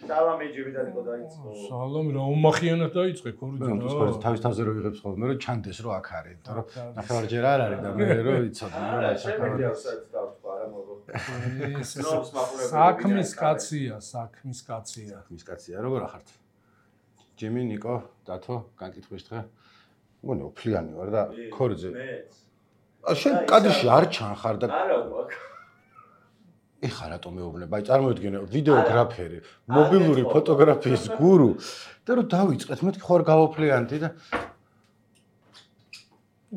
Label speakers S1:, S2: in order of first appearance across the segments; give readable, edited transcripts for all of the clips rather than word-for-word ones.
S1: სალამი ჯიბიდან იყო დაიწყო.
S2: სალამი რა უმახიანად დაიწყე ქორიძე რა.
S3: თქო, თავის თავზე რო იღებს ხოლმე, რომ ჩანდეს რომ აქ არის, იმიტომ რომ ნახევარჯერ არ არის და მე რო იცოდი, რომ
S1: რა შემიძლია საერთოდ დავთქვა არა
S2: საქმის კაცია.
S3: როგორ ახართ? ჯიმი, ნიკო, დათო, განკითხვის დღე. მგონი უფლიანი ვარ და ქორიძე. შენ კადრში არ ჩანხარ და
S1: არა ვაკ.
S3: ეხა რატომ მეუბნებ? აი წარმოიდგინე ვიდეოგრაფერი, მობილური ფოტოგრაფიის გურუ და რომ დავიწყეთ, მეთქი ხო არ გავოფლიანდი და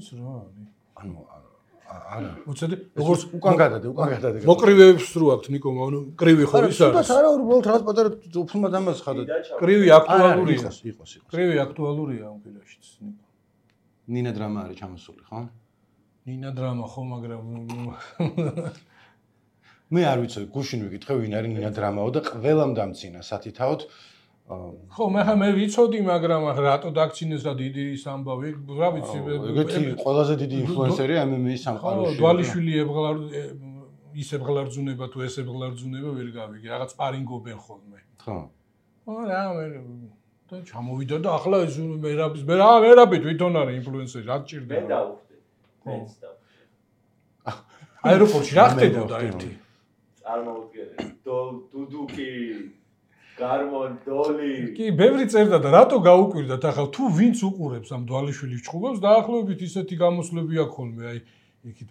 S2: ის რა არის?
S3: ანუ არა.
S2: უცედი როგორც
S3: უკან გადადე.
S2: მოკრივეებს რო აქვს ნიკო, ანუ კრივი ხო ის არის?
S3: არა, არა, უბრალოდ რაღაც პატარა უფლმა დამას ხადა.
S2: კრივი აქტუალურია.
S3: იყოს.
S2: კრივი აქტუალურია ამ ფილმშიც ნიკო.
S3: ნინა დრამა არის ჩამოსული, ხო?
S2: ნინა დრამა ხო, მაგრამ
S3: მე არ ვიცი, გუშინ ვიკითხე ვინ არის ნინა დრამაო და ყველამ დამცინა სათითაოდ.
S2: ხო, მე ვიცოდი, მაგრამ რატო დაგცინეს და დიდი სამბავი, რა ვიცი.
S3: ეგეთი ყველაზე დიდი ინფლუენსერი MMA-ის სამყაროში.
S2: დვალიშვილი ის ებღლარძუნება თუ ეს ებღლარძუნება ვერ გავიგე, რაღაც პარინგობენ ხოლმე.
S3: ხო.
S2: რა მე და ჩამოვიდა და ახლა ეს მერაბი თვითონ არის ინფლუენსერი, რა გჭირდება.
S1: მე დავხვდი. მეც დავხვდი.
S2: აეროპორტში რა ხდებოდა ერთი?
S1: წარმოვიდგინე, დუდუკი, გარმონ, დოლი.
S2: კი, ბევრი წერდა და რატო გაუკვირდათ ახლა თუ ვინც უყურებს ამ დვალიშვილის ჭხუბებს, დაახლოებით ისეთი გამოსვლები აქვს ხოლმე, აი იქით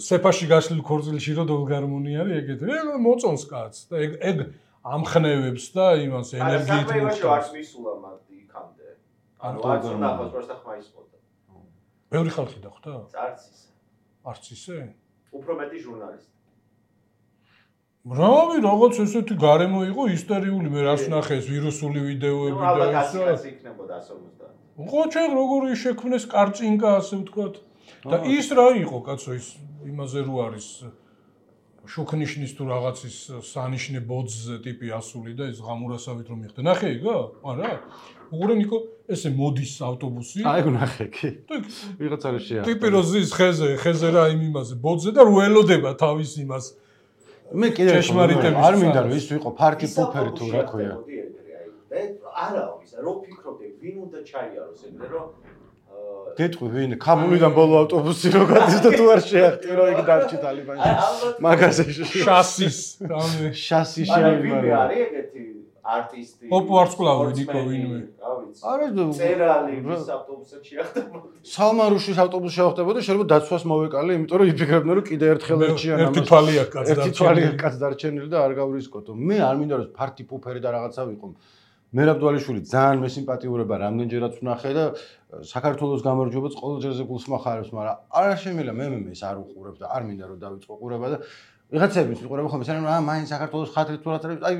S2: სეფაში გაშლილ ქორწილში რო დოლგარმონი არის, ეგეთი. ეგ მოწონს კაცს და ეგ ამხნევებს და იმას ენერგიით
S1: მოხდა. არც მისულა მათ იქამდე. ანუ არც ნახოს პროსტა ხმა ისმოდა.
S2: ბევრი ხალხი დახვდა?
S1: არც ისე.
S2: არც ისე?
S1: უფრო მეტი ჟურნალისტი.
S2: რავი, რაღაც ესეთი გარემო იყო ისტერიული, მე რას ნახე ეს ვირუსული ვიდეოები და
S1: ეს რა იქნებოდა 150.
S2: ხო, ჩე როგორი შექმნეს კარწინკა ასე ვთქვათ. და ის რა იყო, კაცო, ის იმაზე რო არის შუქნიშნის თუ რაღაცის სანიშნე ბოძზე ტიპი ასული და ეს ღამურასავით რომ მიხდა. ნახე იგო? არა? უყურე ნიკო, ესე მოდის ავტობუსი.
S3: აი, ნახე კი. ვიღაცა რა შეახდა.
S2: ტიპი რო ზის ხეზე რა იმ იმაზე ბოძზე და რო ელოდება თავის იმას.
S3: მე კიდევ არ მინდა რომ ის ვიყო ფარკი პუფერი თუ რა ქვია.
S1: არა, ისა რო ფიქრობდი, ვინ უნდა ჩაიაროს ეგრე რომ
S3: გეტყვი ვინ ქაბულიდან ბოლო ავტობუსი რო გადის და თუ არ შეახტი რომ იქ დარჩი ტალიბანში. მაგაზე შასი
S1: შეიმარა. არის ეგეთი არტისტი.
S2: პოპულარსკლავი ნიკო ვინმე.
S3: არა
S1: წერალი ვის ავტობუსად შეახტებოდა.
S3: სალმარუშის ავტობუსში შეახტებოდა, შეიძლება დაცვას მოვეკალე, იმიტომ რომ იფიქრებდნენ რომ კიდე ერთხელ ერთიან
S2: ამას. ერთი თვალი აქვს
S3: კაც დარჩენილი და არ გავრისკოთო. მე არ მინდა რომ ფარტი პუფერი და რაღაცა ვიყო. მერაბდვალიშვილი ძალიან მესიმპათიურება რამდენჯერაც ვნახე და საქართველოს გამარჯვებაც ყოველ ჯერზე გულს მახარებს, მაგრამ არა შემიძლია მე არ უყურებ და არ მინდა რომ დავიწყო ყურება და ვიღაცების ვიყურებ ხოლმე, სანამ მაინც საქართველოს ხათრით თუ რაც არის, აი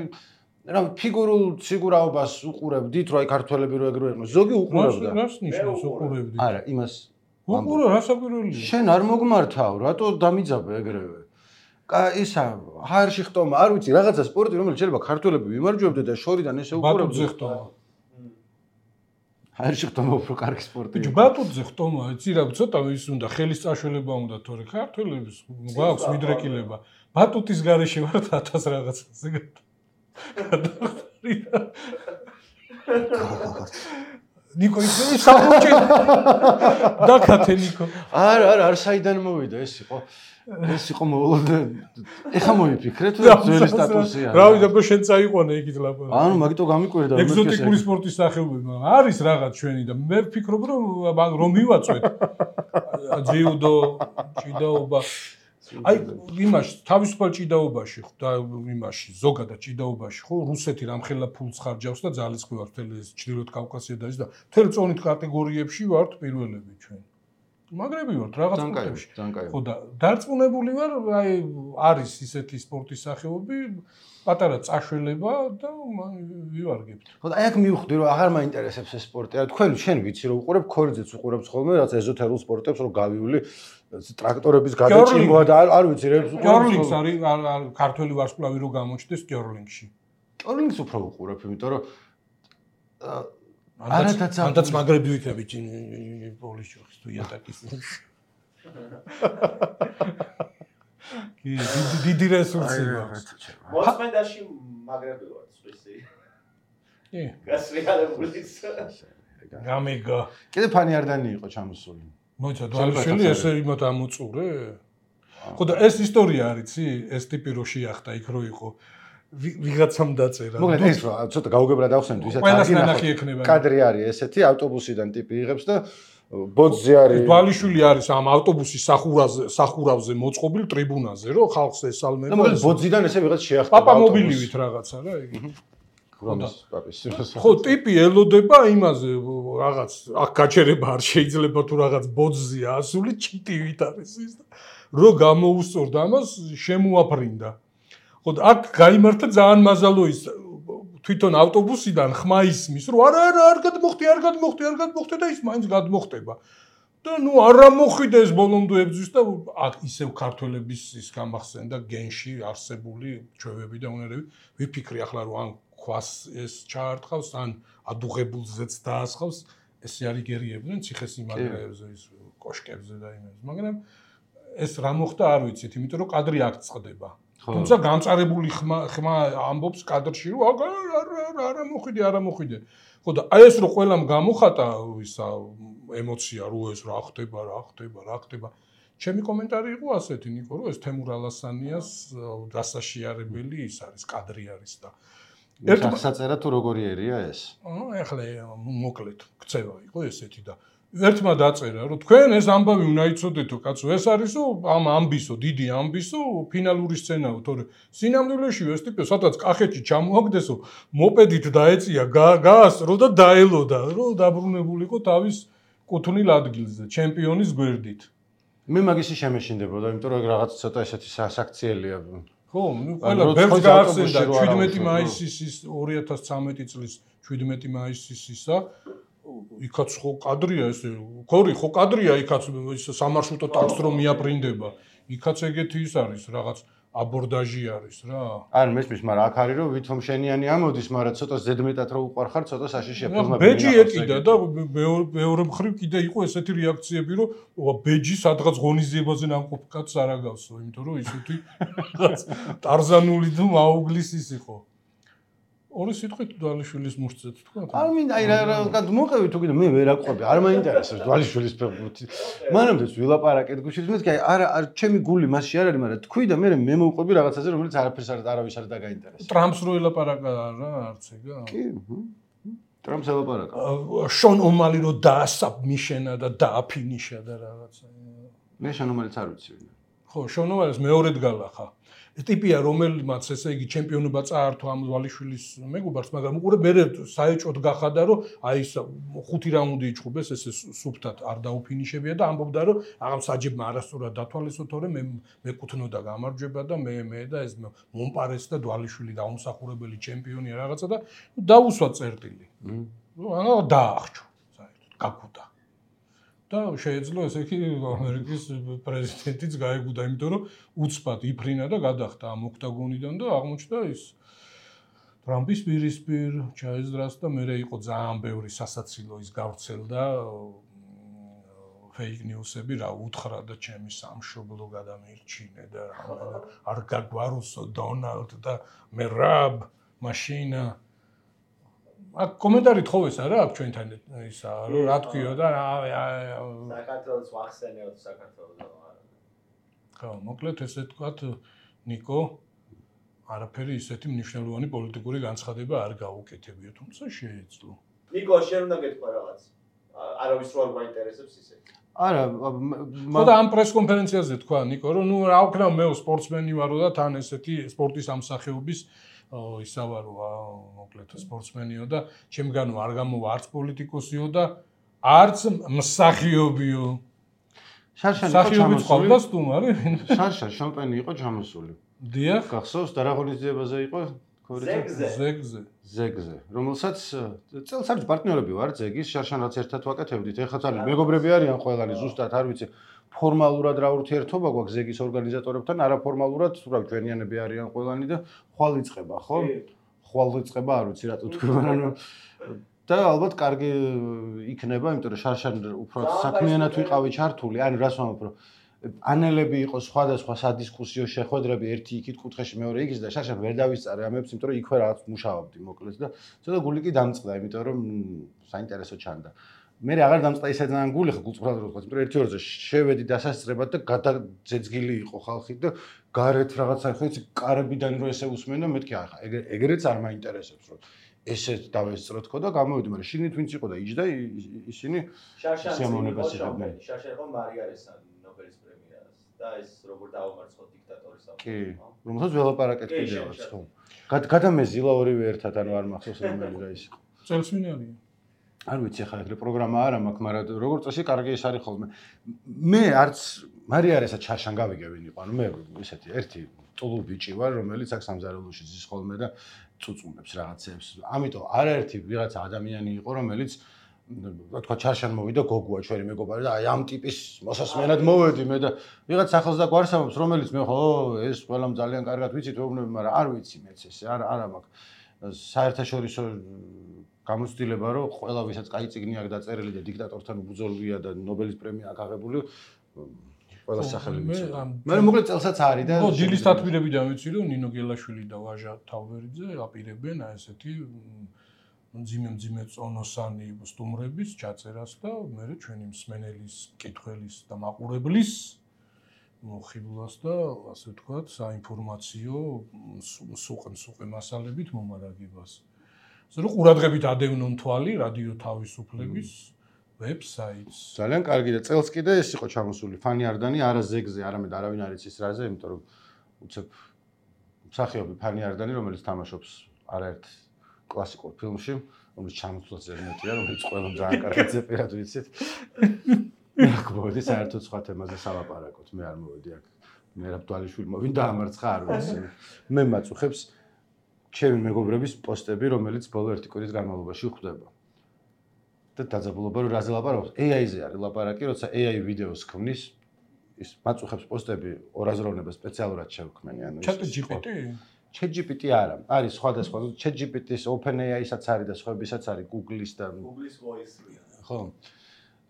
S3: რა ფიგურულ სიგურაობას უყურებდით, რომ აი ქართველები რო ეგრე იყვნენ. ზოგი უყურებდა.
S2: რას ნიშნავს უყურებდით?
S3: არა, იმას
S2: უყურე რა საკვირველია.
S3: შენ არ მოგმართავ, რატო დამიძაბე ეგრევე? ისა ჰაერში ხტომა, არ ვიცი, რაღაცა სპორტი, რომელიც შეიძლება ქართველები ვიმარჯვებდე და შორიდან ესე უყურებდე.
S2: ბატუტზე ხტომა.
S3: ჰაერში ხტომა უფრო კარგი სპორტია.
S2: ბიჭო, ბატუტზე ხტომა, იცი რა, ცოტა ის უნდა ხელის წაშველება უნდა, თორე ქართველებს გვაქვს მიდრეკილება. ბატუტის გარეშე ვართ 1000 რაღაცაზე. ნიკო ის საფუჭი დაკათე ნიკო.
S3: არა, საიდან მოვიდა ეს იყო? ეს იყო ეხა მოიფიქრე თუ ძველი სტატუსია.
S2: რავი, და შენ წაიყვანე იქით ლაპარაკი.
S3: ანუ მაგიტო გამიკვირდა
S2: მე ეგზოტიკური სპორტის სახეობები, მაგრამ არის რაღაც ჩვენი და მე ვფიქრობ რომ მივაწვეთ ჯიუდო, ჭიდაობა. აი იმაში თავისუფალ ჭიდაობაში ხო და იმაში ზოგადად ჭიდაობაში ხო რუსეთი რამხელა ფულს ხარჯავს და ძალისხმევს მთელი ჩრდილოეთ კავკასია და ის და მთელ წონით კატეგორიებში ვართ პირველები ჩვენ. მაგრები ვართ რაღაც პუნქტებში. ხო და დარწმუნებული ვარ, აი არის ისეთი სპორტის სახეობები, პატარა წაშველება და ვივარგებთ.
S3: ხო და აი აქ მივხვდი რომ აღარ მაინტერესებს ეს სპორტი. აი თქვენ შენ ვიცი რომ უყურებ ქორიძეც უყურებს ხოლმე რაც ეზოთერულ სპორტებს რომ გავივლი ტრაქტორების გადაჭიმვა და არ ვიცი რებს უყურებ.
S2: კიორლინგს არის ქართველი ვარსკვლავი რო გამოჩნდეს კიორლინგში.
S3: კიორლინგს უფრო უყურებ, იმიტომ რომ
S2: ანდაც მაგრები ვიქნებით პოლიშოხის თუ იატაკის. კი, დიდი რესურსი აქვს.
S1: მოსმენდაში მაგრები ვართ. წვისი.
S2: კი.
S1: გასრიალებულიც.
S2: გამიგა.
S3: კიდე ფანი არდანი იყო ჩამოსული.
S2: მოიცა დვალიშვილი ესე იმათ ამოწურე? ხო და ეს ისტორია არიცი? ეს ტიპი რო შეახდა იქ რო იყო. ვიღაცამ დაწერა.
S3: მოკლედ ეს რა, ცოტა გაუგებრად ავხსენეთ, ვისაც
S2: აღინახოთ.
S3: კადრი არის ესეთი, ავტობუსიდან ტიპი იღებს და ბოძზე არის.
S2: დვალიშვილი არის ამ ავტობუსის სახურავზე მოწყობილ ტრიბუნაზე, რო ხალხს ესალმება.
S3: და მოკლედ ბოძიდან ესე ვიღაც შეახდა.
S2: პაპა მობილივით რაღაცა რა იგი. ხო, ტიპი ელოდება იმაზე რაღაც აქ გაჩერება არ შეიძლება თუ რაღაც ბოძზია ასული ჩიტივით არის ის და რო გამოუსწორდა ამას შემოაფრინდა. ხო და აქ გაიმართა ძალიან მაზალო ის თვითონ ავტობუსიდან ხმა ისმის რომ არა არ გადმოხდი და ის მაინც გადმოხდება. და ნუ არა მოხვიდა ეს ბოლომდე ებძვის და აქ ისევ ქართველების ის გამახსენდა გენში არსებული ჩვევები და უნარები ვიფიქრი ახლა რომ ან ქვას ეს ჩაარტყავს ან ადუღებულზეც დაასხავს ესე არის გერიებდნენ ციხესიმაგრეებზე ის კოშკებზე და იმებს მაგრამ ეს რა მოხდა არ ვიცით იმიტომ რომ კადრი აქ წყდება თუმცა განწარებული ხმა ამბობს კადრში რომ არა მოხვიდე ხო და აი ეს რო ყველამ გამოხატა ისა ემოცია რო ეს რა ხდება ჩემი კომენტარი იყო ასეთი ნიკო რომ ეს თემურ ალასანიას დასაშიარებელი ის არის კადრი არის და
S3: ერთ საწერა თუ როგორი ერია ეს?
S2: ეხლა მოკლედ ქცევა იყო ესეთი და ერთმა დაწერა რომ თქვენ ეს ამბავი უნდა იცოდეთო კაცო ეს არისო ამ ამბისო დიდი ამბისო ფინალური სცენაო თორე სინამდვილეში ეს ტიპი სადაც კახეთში ჩამოაგდესო მოპედით დაეწია გაასწრო და დაელოდა რომ დაბრუნებულიყო თავის კუთვნილ ადგილზე ჩემპიონის გვერდით
S3: მე მაგისი შემეშინდებოდა იმიტომ რომ რაღაც ცოტა ესეთი საქციელია
S2: ხო, ყველა ბერს გაახსენდა 17 მაისის 2013 წლის 17 მაისის ისა იქაც ხო კადრია ესე ხო კადრია იქაც ის სამარშრუტო ტაქსი რომ მიაპრინდება იქაც ეგეთი ის არის რაღაც აბორდაჟი არის რა
S3: არ მესმის მაგრამ აქ არის რომ ვითომ შენიანი ამოდის მაგრამ ცოტა ზედმეტად რო უყარხარ ცოტა საშიშია ფილმები
S2: ბეჯი ეკიდა და მეორე მხრივ კიდე იყო ესეთი რეაქციები რომ ბეჯი სადღაც ღონისძიებაზე ნამყოფ კაცს არ აგავსო იმიტომ რომ ისეთი ტარზანული თუ მაუგლის ის იყო ორი სიტყვით დვალიშვილის მუშცეთ თქვა
S3: არ მინდა აი რა მოყევი თუ კიდე მე ვერ აყვები არ მაინტერესებს დვალიშვილის ფეხბურთი მანამდე ვილაპარაკეთ გუშინ მე კი არა ჩემი გული მასში არ არის მაგრამ თქვი და მე მოვყვები რაღაცაზე რომელიც არაფერს არავის არ დაგაინტერესებს
S2: ტრამპს რო ელაპარაკა რა არც ეგა
S3: კი ტრამპს ელაპარაკა
S2: შონ ომალი რო დაასაბმიშენა და დააფინიშა და რაღაცა
S3: მე შონ ომალიც არ ვიცი
S2: ხო შონ ომალის მეორედ გალახა ტიპია რომელმაც ესე იგი ჩემპიონობა წაართვა ამ დვალიშვილის მეგობარს მაგრამ უყურე მე საეჭოდ გახადა რომ აი ეს 5 რაუნდი იჭუბეს ესე სუფთად არ დაუფინიშებია და ამბობდა რომ აღარ საჯებმა არასწორად დათვალისო თორე მე მეკუთვნოდა გამარჯვება და მე და ეს მომპარეს და დვალიშვილი დაუმსახურებელი ჩემპიონია რაღაცა და დაუსვა წერტილი ანუ დაახჭო საერთოდ გაგუდა და შეეძლო ესე იგი ამერიკის პრეზიდენტიც გაეგუდა იმიტომ რომ უცბად იფრინა და გადახდა ამ ოქტაგონიდან და აღმოჩნდა ის ტრამპის პირისპირ ჩაეზრას და მე იყო ძალიან ბევრი სასაცილო ის გავრცელდა ფეიქ ნიუსები რა უთხრა და ჩემი სამშობლო გადამირჩინე და არ გაგვაროსო დონალდ და მე რაბ მაშინა აქ კომენტარი თხოვეს არა აქ ჩვენთან ისა რომ რა თქვიო და
S1: საქართველოს ვახსენეოთ საქართველოს არა
S2: ხო მოკლედ ესე თქვათ ნიკო არაფერი ისეთი მნიშვნელოვანი პოლიტიკური განცხადება არ გაუკეთებია თუმცა შეეძლო
S1: ნიკო შენ უნდა გეთქვა რაღაც არავის რო არ მაინტერესებს ისე
S3: არა
S2: ხო და ამ პრეს კონფერენციაზე თქვა ნიკო რომ ნუ რა ვქნა მე სპორტსმენი ვარო და თან ესეთი სპორტის ამსახეობის ისავარო მოკლედ სპორტსმენიო და ჩემგანო არ გამოვა არც პოლიტიკოსიო და არც მსახიობიო მსახიობი ყავდა სტუმარი
S3: შარშა შამპანი იყო ჩამოსული
S2: დიახ
S3: გახსოვს და რა ღონისძიებაზე იყო ზეგზე რომელსაც წელს არის პარტნიორები ვარ ზეგის შარშანაც ერთად ვაკეთებდით ეხლა ძალიან მეგობრები არიან ყველანი ზუსტად არ ვიცი ფორმალურად რა ურთიერთობა გვაქვს ზეგის ორგანიზატორებთან არაფორმალურად რა ჩვენიანები არიან ყველანი და ხვალ იწყება ხო ხვალ იწყება არ ვიცი რატო თქვი მაგრამ და ალბათ კარგი იქნება იმიტომ რომ შარშან უფრო საქმიანად ვიყავი ჩართული ანუ რას ვამბობ რომ პანელები იყო სხვადასხვა სადისკუსიო შეხვედრები ერთი იქით კუთხეში მეორე იქით და შარშან ვერ დავისწარე ამებს, იმიტომ რომ იქვე რაღაც მუშაობდი მოკლედ და ცოტა გული კი დამწყდა, იმიტომ რომ საინტერესო ჩანდა. მე აღარ დამწყდა ისე ძალიან გული ხო გულწრფელად რო ვთქვა, იმიტომ რომ ერთი ორზე შევედი დასასწრებად და გადაძეძგილი იყო ხალხი და გარეთ რაღაცა ხო იცი კარებიდან რო ესე უსმენ და მეთქი ახლა ეგრეც არ მაინტერესებს რომ ესეც დავესწრო თქო და გამოვიდი, მაგრამ შიგნით ვინც იყო და იჯდა ისინი
S1: შარშანს იყო შარშან იყო მარიარესა ნობელის პრემიას და ეს როგორ დაუმარცხო დიქტატორის ამ.
S3: კი, რომელსაც ველაპარაკეთ კიდევაც ხო. გადამეზილა ორივე ერთად ანუ არ მახსოვს რომელი რა ის იყო.
S2: წელს ვინ არის?
S3: არ ვიცი ხა ეგრე პროგრამა არ მაქვს, მაგრამ როგორც წესი კარგი ის არის ხოლმე. მე არც მარიარესაც შარშან გავიგე ვინ იყო, ანუ მე ესეთი ერთი ტულუ ბიჭი ვარ, რომელიც აქ სამზარეულოში ზის ხოლმე და წუწუნებს რაღაცებს. ამიტომ არაერთი ვიღაცა ადამიანი იყო, რომელიც თქვა შარშან მოვიდა გოგოა ჩვენი მეგობარი და აი ამ ტიპის მოსასმენად მოვედი მე და ვიღაც ახალს და გვარსამობს, რომელიც მე ხო ეს ყველამ ძალიან კარგად ვიცით, ვეუბნები, მაგრამ არ ვიცი მეც ესე, არა მაქვს საერთაშორისო გამოცდილება რომ ყველა ვისაც კაი წიგნი აქვს დაწერილი და დიქტატორთან უბრძოლვია და ნობელის პრემია აქვს აღებული ყველა სახელი ვიცი. მე მოკლედ წელსაც არის და
S2: ხო დილის თათბირებიდან ვიცი რომ ნინო გელაშვილი და ვაჟა თავბერიძე აპირებენ აი ესეთი მძიმე წონოსანი სტუმრების ჩაწერას და მე ჩვენი მსმენელის, კითხველის და მაყურებლის მოხიბლას და ასე ვთქვათ, საინფორმაციო სუყე მასალებით მომარაგებას. ზოგადად ყურადღებით ადევნონ თვალი რადიო თავისუფლების ვებსაიტს.
S3: ძალიან კარგი და წელს კიდე ეს იყო ჩამოსული ფანი არდანი არა ზეგზე, არამედ არავინ არ იცის რაზე, იმიტომ რომ უცებ მსახიობი ფანი არდანი, რომელიც თამაშობს არაერთ კლასიკურ ფილმში, რომელიც ჩამოსულაც ზედმეტია, რომელიც ყველამ ძალიან კარგად ზეპირად ვიცით. მე აქ მოვედი საერთოდ სხვა თემაზე სალაპარაკოთ, მე არ მოვედი აქ. მერაბ დვალიშვილმა ვინ დაამარცხა არ ვიცი. მე მაწუხებს ჩემი მეგობრების პოსტები, რომელიც ბოლო ერთი კვირის განმავლობაში ხვდება. და დაძაბულობა რომ რაზე ლაპარაკობს? AI-ზე არის ლაპარაკი, როცა AI ვიდეოს ქმნის, ის მაწუხებს პოსტები ორაზროვნება სპეციალურად შევქმენი, ანუ
S2: Chat GPT?
S3: ChatGPT არა, არის სხვადასხვა, ChatGPT-ს OpenAI-საც არის და სხვებისაც არის, Google-ის და
S1: Google-ის voice-ია.
S3: ხო.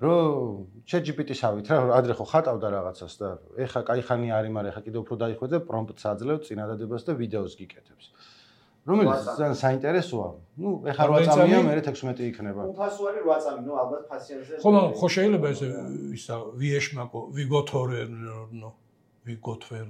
S3: რომ ChatGPT-ს ავით რა, ადრე ხო ხატავდა რაღაცას და ეხა კაი ხანი არის, მაგრამ ეხა კიდევ უფრო დაიხვეწე პრომპტს აძლევ წინადადებას და ვიდეოს გიკეთებს. რომელიც ძალიან საინტერესოა. ნუ ეხა 8 წამია, მე 16 იქნება.
S1: უფასო არის 8 წამი, ნუ ალბათ ფასიანზე.
S2: ხო შეიძლება ესე ისა ვიეშმაკო, ვიგოთორენო, ვიგოთვერ.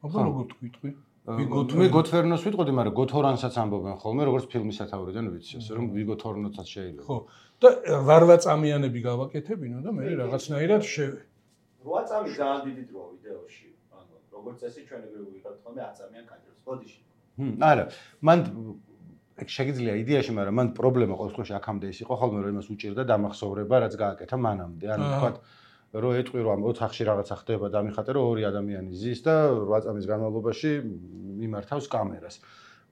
S2: აბა როგორ თქვი?
S3: მე გოთვერნოს ვიტყოდი, მაგრამ გოთორანსაც ამბობენ ხოლმე, როგორც ფილმის სათაურიდან ვიცი, ასე რომ ვიგოთორნოსაც შეიძლება.
S2: ხო. და 8 წამიანები გავაკეთებინო და მე რაღაცნაირად
S1: 8 წამი ძალიან დიდი დროა ვიდეოში. ანუ როგორც წესი ჩვენ ეგრე ვიღებთ ხოლმე 10 წამიან კადრებს. ბოდიში.
S3: არა, მან შეგიძლია იდეაში, მაგრამ მან პრობლემა ყოველ შემთხვევაში აქამდე ის იყო ხოლმე, რომ იმას უჭირდა დამახსოვრება, რაც გააკეთა მანამდე. ანუ თქვათ, რომ ეტყვი რომ ოთახში რაღაცა ხდება და ამიხატე რომ ორი ადამიანი ზის და 8 წამის განმავლობაში მიმართავს კამერას.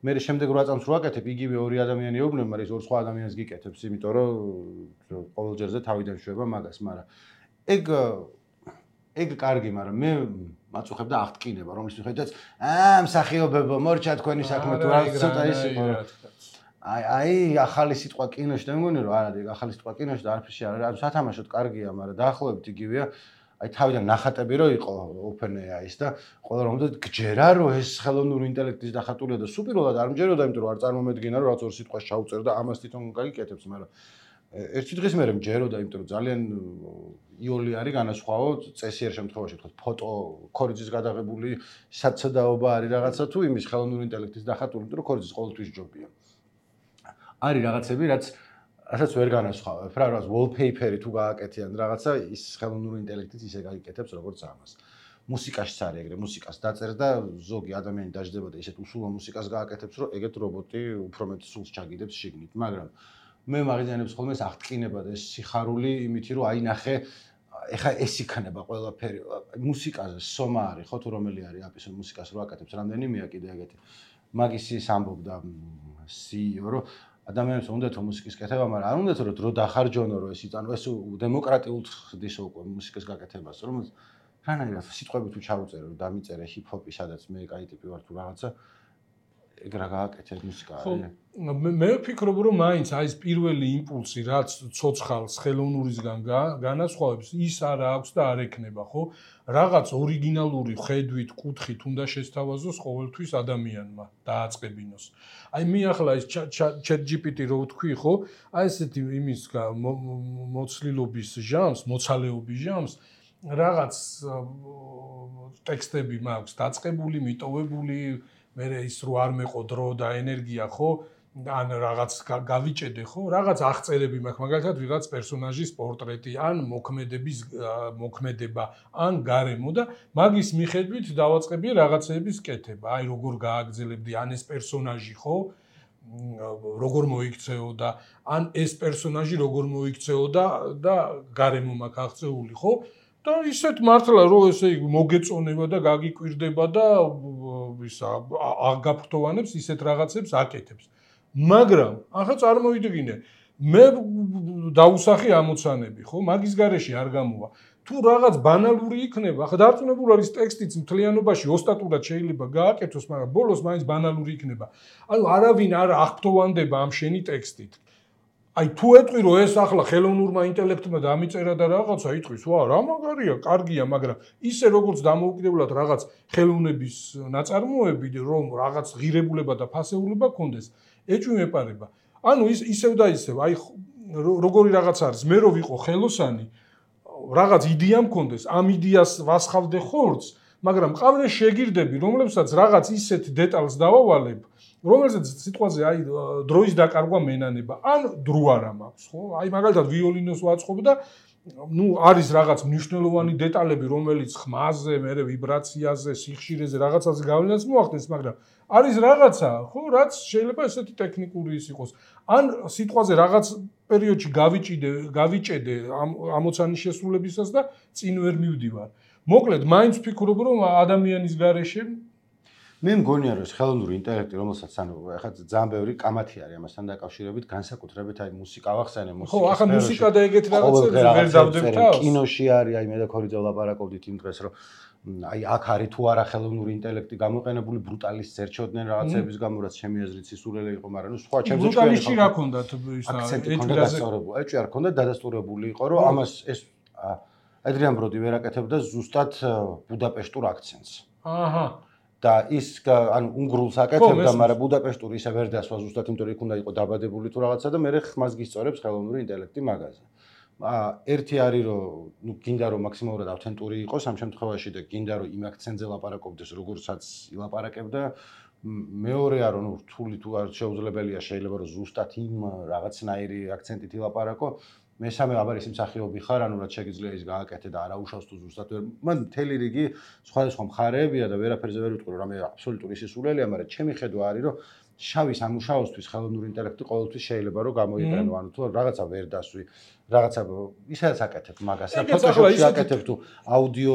S3: მე შემდეგ 8 წამს რო აკეთებ, იგივე ორი ადამიანი ეუბნება, მაგრამ ის ორ სხვა ადამიანს გიკეთებს, იმიტომ რომ ყოველ ჯერზე თავიდან შვება მაგას, მაგრამ ეგ კარგი, მაგრამ მე მაწუხებ და აღტკინება, რომლის მიხედვითაც მსახიობებო, მორჩა თქვენი საქმე თუ რა ცოტა ის იყო. აი ახალი სიტყვა კინოში და მეგონი რომ არა, ახალი სიტყვა კინოში და არაფერში არ არის, სათამაშოდ კარგია, მაგრამ დაახლოებით იგივეა. აი თავიდან ნახატები რო იყო OpenAI-ის და ყველა რომ გჯერა რომ ეს ხელოვნური ინტელექტის დახატულია და სუპირულად არ მჯეროდა, იმიტომ რომ არ წარმომედგინა რომ რაც ორ სიტყვას ჩაუწერ და ამას თვითონ გაიკეთებს, მაგრამ ერთი დღის მერე მჯეროდა, იმიტომ რომ ძალიან იოლი არის განასხვავო წესიერ შემთხვევაში, თქვა ფოტო ქორიძის გადაღებული საცდაობა არის რაღაცა თუ იმის ხელოვნური ინტელექტის დახატული, იმიტომ რომ ქორიძის ყოველთვის ჯობია. არის რაღაცები, რაც ასაც ვერ განასხვავებ, რა რაღაც wallpaper-ი თუ გააკეთიან რაღაცა, ის ხელოვნური ინტელექტით ისე გაიკეთებს, როგორც ამას. მუსიკაშიც არის ეგრე, მუსიკას დაწერს და ზოგი ადამიანი დაждდება და ისეთ უსულო მუსიკას გააკეთებს, რომ ეგეთ რობოტი უფრო მეტ სულს ჩაგიდებს შიგნით, მაგრამ მე მაგიანებს ხოლმე ეს აღტკინება და ეს სიხარული იმითი, რომ აი ნახე, ეხა ეს იქნება ყველაფერი. მუსიკაზე სომა არის, ხო თუ რომელი არის აპის მუსიკას რო აკეთებს, რამდენიმეა კიდე ეგეთი. მაგის ის ამბობდა CEO, რომ ადამიანებს უნდათ მუსიკის კეთება, მაგრამ არ უნდათ რომ დრო დახარჯონო, რომ ეს იწანო, ეს დემოკრატიულად ხდის უკვე მუსიკის გაკეთებას, რომ რანაირად სიტყვები თუ ჩაუწერე, რომ დამიწერე ჰიპ-ჰოპი, სადაც მე კაი ტიპი ვარ თუ რაღაცა, ეგ რა გააკეთე მუსიკა.
S2: მე ვფიქრობ რომ მაინც აი ეს პირველი იმპულსი რაც ცოცხალს ხელოვნურისგან განასხვავებს ის არ აქვს და არ ექნება ხო რაღაც ორიგინალური ხედვით კუთხით უნდა შესთავაზოს ყოველთვის ადამიანმა დააწყებინოს აი მე ახლა ეს ChatGPT რო ვთქვი ხო აი ესეთი იმის მოცლილობის ჟამს მოცალეობის ჟამს რაღაც ტექსტები მაქვს დაწყებული მიტოვებული მე ის რო არ მეყო დრო და ენერგია ხო ან რაღაც გავიჭედე ხო რაღაც აღწერები მაქვს მაგალითად ვიღაც პერსონაჟის პორტრეტი ან მოქმედება ან გარემო და მაგის მიხედვით დავაწყებია რაღაცეების კეთება აი როგორ გააგრძელებდი ან ეს პერსონაჟი ხო როგორ მოიქცეოდა ან ეს პერსონაჟი როგორ მოიქცეოდა და გარემო მაქვს აღწეული ხო და ისეთ მართლა რომ ესე იგი მოგეწონება და გაგიკვირდება და ისა აგაფრთოვანებს ისეთ რაღაცებს აკეთებს მაგრამ ახლა წარმოვიდგინე მე დაუსახი ამოცანები ხო მაგის გარეშე არ გამოვა თუ რაღაც ბანალური იქნება ახლა დარწმუნებული არის ტექსტიც მთლიანობაში ოსტატურად შეიძლება გააკეთოს მაგრამ ბოლოს მაინც ბანალური იქნება ანუ არავინ არ აღფრთოვანდება ამ შენი ტექსტით აი თუ ეტყვი რომ ეს ახლა ხელოვნურმა ინტელექტმა დამიწერა და რაღაცა იტყვის ვა რა მაგარია კარგია მაგრამ ისე როგორც დამოუკიდებლად რაღაც ხელოვნების ნაწარმოები რომ რაღაც ღირებულება და ფასეულობა გქონდეს ეჭვი მეპარება ანუ ისევ და ისევ აი როგორი რაღაც არის მე რო ვიყო ხელოსანი რაღაც იდეა მქონდეს ამ იდეას ვასხავდე ხორცს მაგრამ ყავდეს შეგირდები რომლებსაც რაღაც ისეთ დეტალს დავავალებ რომელზეც სიტყვაზე აი დროის დაკარგვა მენანება ან დრო არა მაქვს ხო აი მაგალითად ვიოლინოს ვაწყობ და ну არის რაღაც მნიშვნელოვანი დეტალები რომელიც ხმაზე, მე ვიბრაციაზე, სიხშირეზე რაღაცაზე გავლენას მოახდენს, მაგრამ არის რაღაცა, ხო, რაც შეიძლება ესეთი ტექნიკური ის იყოს. ან სიტყვაზე რაღაც პერიოდში გავიჭედე ამოცანის შესრულებისას და წინ ვერ მივდივარ. მოკლედ, მაინც ვფიქრობ, რომ ადამიანის გარეშე
S3: მე მგონია რომ ხელოვნური ინტელექტი რომელსაც ანუ ახლა ძალიან ბევრი კამათი არის ამასთან დაკავშირებით განსაკუთრებით აი მუსიკა ვახსენე მუსიკა
S2: ხო ახლა მუსიკა და ეგეთ რაღაცებს ვერ დავდებ თავს
S3: კინოში არის აი მე და ქორიძე ვლაპარაკობდით იმ დღეს რომ აი აქ არის თუ არა ხელოვნური ინტელექტი გამოყენებული ბრუტალის ზერჩოდნენ რაღაცების გამო რაც ჩემი აზრით სისულელე იყო მაგრამ ნუ სხვა ჩემს
S2: ბრუტალისში რა ქონდათ ისა
S3: ეჭვი არ ქონდა დადასტურებული იყო რომ ამას ეს ადრიან ბროდი ვერ აკეთებდა ზუსტად ბუდაპეშტურ აქცენტს
S2: აჰა
S3: და ის ანუ უნგრულს აკეთებდა, მაგრამ ბუდაპეშტური ისე ვერ დასვა ზუსტად, იმიტომ რომ იქ უნდა იყო დაბადებული თუ რაღაცა და მე ხმას გისწორებს ხელოვნური ინტელექტი მაგაზე. ერთი არის რომ ნუ გინდა რომ მაქსიმალურად ავთენტური იყოს ამ შემთხვევაში და გინდა რომ იმ აქცენტზე ლაპარაკობდეს, როგორცაც ილაპარაკებდა. მეორეა რომ ნუ რთული თუ არ შეუძლებელია შეიძლება რომ ზუსტად იმ რაღაცნაირი აქცენტით ილაპარაკო. მესამე აბარ ის მსახიობი ხარ, ანუ რაც შეგიძლია ის გააკეთე და არაუშავს თუ ზუსტად ვერ. მან მთელი რიგი სხვადასხვა მხარეებია და ვერაფერზე ვერ ვიტყვი რომ რამე აბსოლუტური სისულელეა, მაგრამ ჩემი ხედვა არის რომ შავის ამუშავოსთვის ხელოვნური ინტელექტი ყოველთვის შეიძლება რომ გამოიყენო, ანუ თუ რაღაცა ვერ დასვი, რაღაცა ისაც აკეთებ მაგას, ფოტოშოპში აკეთებ თუ აუდიო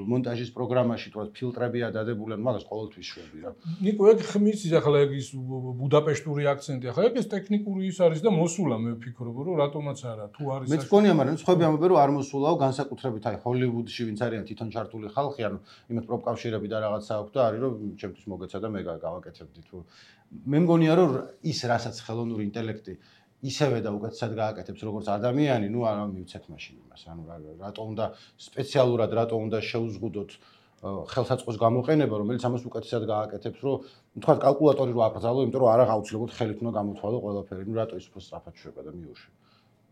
S3: მონტაჟის პროგრამაში თუ ფილტრებია დადებული, ანუ მაგას ყოველთვის შვები რა.
S2: ნიკო, ეგ ხმის ახლა ეგ ის ბუდაპეშტური აქცენტი, ახლა ეგ ეს ტექნიკური ის არის და მოსულა მე ვფიქრობ რომ რატომაც არა, თუ არის
S3: მეც მგონია, მაგრამ სხვები ამბობენ რომ არ მოსულაო, განსაკუთრებით აი ჰოლივუდში ვინც არიან თვითონ ჩართული ხალხი, ანუ იმათ პროპკავშირები და რაღაცა აქვს და არის რომ ჩემთვის მოგეცა და მე გავაკეთებდი თუ მე მგონია რომ ის რასაც ხელოვნური ინტელექტი ისევე და უკეთესად გააკეთებს როგორც ადამიანი, ნუ არ მივცეთ მაშინ იმას, ანუ რატო უნდა სპეციალურად რატო უნდა შეუზღუდოთ ხელსაწყოს გამოყენება, რომელიც ამას უკეთესად გააკეთებს, რომ თქვა კალკულატორი რო აკრძალო, იმიტომ რომ არა აუცილებლად ხელით უნდა გამოთვალო ყველაფერი, ნუ რატო ის უფრო სწრაფად შვება და მიუშვი.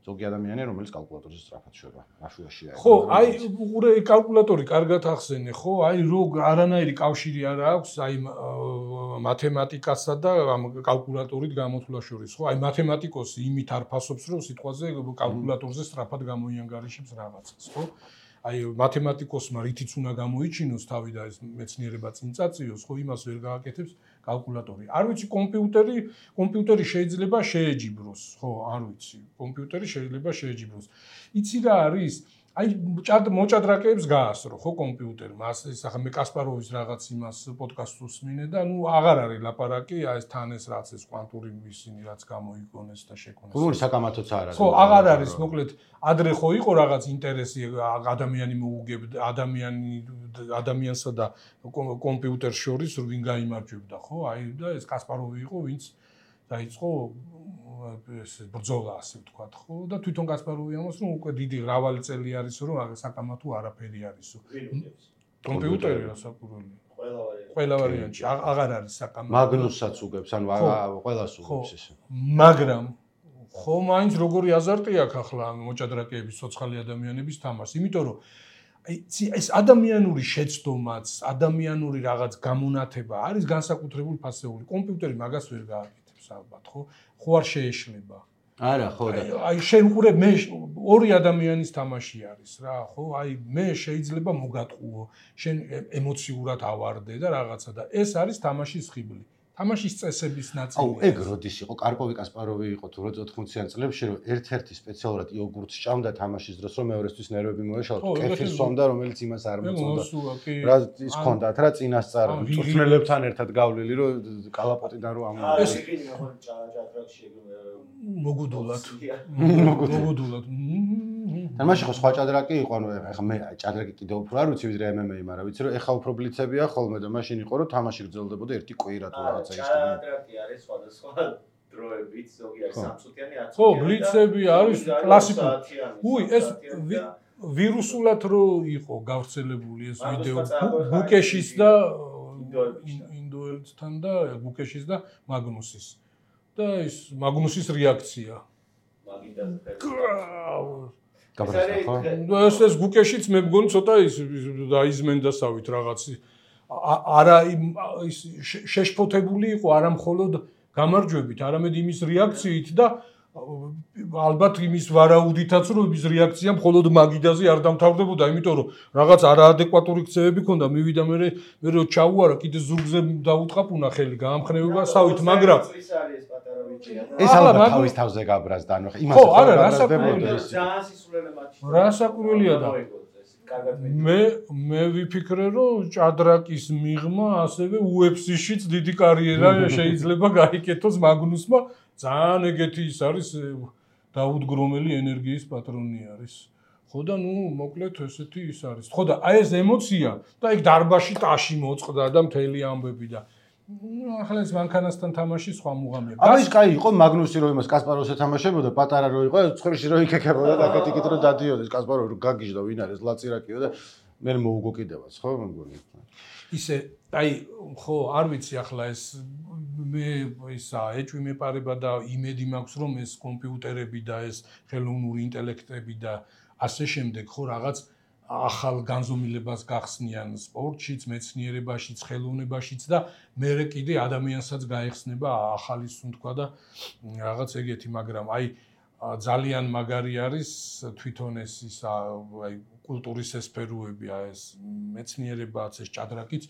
S3: ზოგი ადამიანია, რომელიც კალკულატორზე სწრაფად შვება, აშუაშია.
S2: ხო, აი უყურე კალკულატორი კარგად ახსენე, ხო? აი რო არანაირი კავშირი არ აქვს აი მათემატიკასა და ამ კალკულატორით გამოთვლა შორის, ხო? აი მათემატიკოსი იმით არ ფასობს, რომ სიტყვაზე კალკულატორზე სწრაფად გამოიანგარიშებს რაღაცას, ხო? აი მათემატიკოსმა რითიც უნდა გამოიჩინოს თავი და ეს მეცნიერება წინ წაწიოს, ხო, იმას ვერ გააკეთებს კალკულატორი. არ ვიცი კომპიუტერი შეიძლება შეეჯიბროს, ხო, არ ვიცი. კომპიუტერი შეიძლება შეეჯიბროს. იცი რა არის? აი მოჭადრაკეებს გაასრო ხო კომპიუტერმა ასე ახლა მე კასპაროვის რაღაც იმას პოდკასტს უსმინე და ნუ აღარ არის ლაპარაკი აი ეს თან ეს რაც ეს კვანტური ისინი რაც გამოიგონეს და შეკონეს
S3: ხომ საკამათოც არ არის
S2: ხო აღარ არის მოკლედ ადრე ხო იყო რაღაც ინტერესი ადამიანი მოუგებდა ადამიანსა და კომპიუტერს შორის ვინ გაიმარჯვებდა ხო აი და ეს კასპაროვი იყო ვინც დაიწყო ეს ბრძოლა ასე ვთქვათ ხო და თვითონ კასპაროვი ამას რომ უკვე დიდი მრავალი წელი არის რომ საკამათო არაფერი არისო კომპიუტერი რასაკვირველია ყველა ვარიანტში აღარ არის საკამათო
S3: მაგნუსსაც უგებს ანუ ყველას უგებს ეს
S2: მაგრამ ხო მაინც როგორი აზარტი აქვს ახლა მოჭადრაკეების სოციალური ადამიანების თამაშს იმიტომ რომ ეს ადამიანური შეცდომაც ადამიანური რაღაც გამონათება არის განსაკუთრებული ფასეული კომპიუტერი მაგას ვერ გააკეთებს ალბათ ხო არ შეეშლება
S3: არა ხო და
S2: აი შენ უყურებ მე ორი ადამიანის თამაში არის რა ხო აი მე შეიძლება მოგატყუო შენ ემოციურად ავარდე და რაღაცა და ეს არის თამაშის ხიბლი თამაშის წესების ნაწილი.
S3: აუ, ეგ როდის იყო? კარპოვი კასპაროვი იყო თუ 80-იან წლებში, რომ ერთ-ერთი სპეციალურად იოგურტს ჭამდა თამაშის დროს, რომ მეორესთვის ნერვები მოეშალოთ, კეფირს სვამდა, რომელიც იმას არ მოწონდა. რა ის ქონდათ რა წინასწარ წვრთნელებთან ერთად გავლილი, რომ კალაპოტიდან რო ამო.
S1: ეს იქინი ხო ჭადრაკში
S2: მოგუდულად.
S3: და მაშინ ხო სხვა ჭადრაკი იყო, ანუ ეხლა მე ჭადრაკი კიდევ უფრო არ ვიცი ვიდრე MMA, მაგრამ ვიცი რომ ეხლა უფრო ბლიცებია ხოლმე და მაშინ იყო რომ თამაში გრძელდებოდა ერთი კვირა თუ რაღაცა ის.
S1: ჭადრაკი არის სხვადასხვა დროებით, ზოგიერთი 3 წუთიანი 10 წუთიანი.
S2: ხო, ბლიცები არის კლასიკური. უი, ეს ვირუსულად რო იყო გავრცელებული ეს ვიდეო ბუკეშის და ინდოელთან და ბუკეშის და მაგნუსის. და ის მაგნუსის რეაქცია. ეს გუკეშიც მე მგონი ცოტა ის დაიზმენდასავით რაღაც არა ის შეშფოთებული იყო არა მხოლოდ გამარჯვებით, არამედ იმის რეაქციით და ალბათ იმის ვარაუდითაც რომ ის რეაქცია მხოლოდ მაგიდაზე არ დამთავრდებოდა, იმიტომ რომ რაღაც არაადეკვატური ქცევები ქონდა, მივიდა მე რო ჩაუარა კიდე ზურგზე დაუტყაპუნა ხელი გაამხნევებასავით, მაგრამ
S3: ეს ალბათ თავის თავზე გაბრაზდა, ანუ იმას
S2: ხო, არა,
S1: ძალიან სისულელე მატჩი.
S2: რასაკვირველია და მე ვიფიქრე რომ ჭადრაკის მიღმა ასევე UFC-შიც დიდი კარიერა შეიძლება გაიკეთოს მაგნუსმა, ძალიან ეგეთი ის არის დაუდგრომელი ენერგიის პატრონი არის. ხო და ნუ მოკლედ ესეთი ის არის. ხო და აი ეს ემოცია და ეგ დარბაში ტაში მოწყდა და მთელი ამბები და ახლა ეს მანქანასთან თამაში სხვა მუღამია.
S3: აბა ის კაი იყო მაგნუსი რო იმას კასპაროვს ეთამაშებოდა, პატარა რო იყო, ცხრილში რო იქეკებოდა და კეთიკით რო დადიოდეს კასპაროვი რო გაგიჟდა ვინ არის ლაცირაკიო და მე მოუგო კიდევაც, ხო მე მგონი.
S2: ისე აი ხო არ ვიცი ახლა ეს მე ისა ეჭვი მეპარება და იმედი მაქვს რომ ეს კომპიუტერები და ეს ხელოვნური ინტელექტები და ასე შემდეგ ხო რაღაც ახალ განზომილებას გახსნიან სპორტშიც, მეცნიერებაშიც, ხელოვნებაშიც და მერე კიდე ადამიანსაც გაეხსნება ახალი სუნთქვა და რაღაც ეგეთი, მაგრამ აი ძალიან მაგარი არის თვითონ ეს ისა აი კულტურის სფეროები, აი ეს მეცნიერებაც, ეს ჭადრაკიც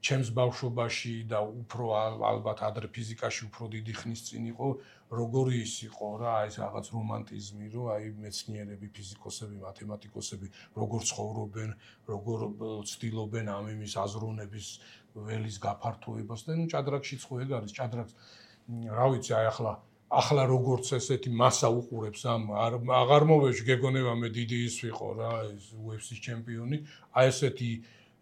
S2: ჩემს ბავშვობაში და უფრო ალბათ ადრე ფიზიკაში უფრო დიდი ხნის წინ იყო, როგორი ის იყო რა, ეს რაღაც რომანტიზმი, რომ აი მეცნიერები, ფიზიკოსები, მათემატიკოსები როგორ ცხოვრობენ, როგორ ცდილობენ ამ იმის აზროვნების ველის გაფართოებას და ნუ ჭადრაკშიც ხო ეგ არის, ჭადრაკს რა ვიცი, აი ახლა როგორც ესეთი მასა უყურებს ამ აღარ მოვეშ გეგონება მე დიდი ის ვიყო რა, ეს UFC-ის ჩემპიონი, აი ესეთი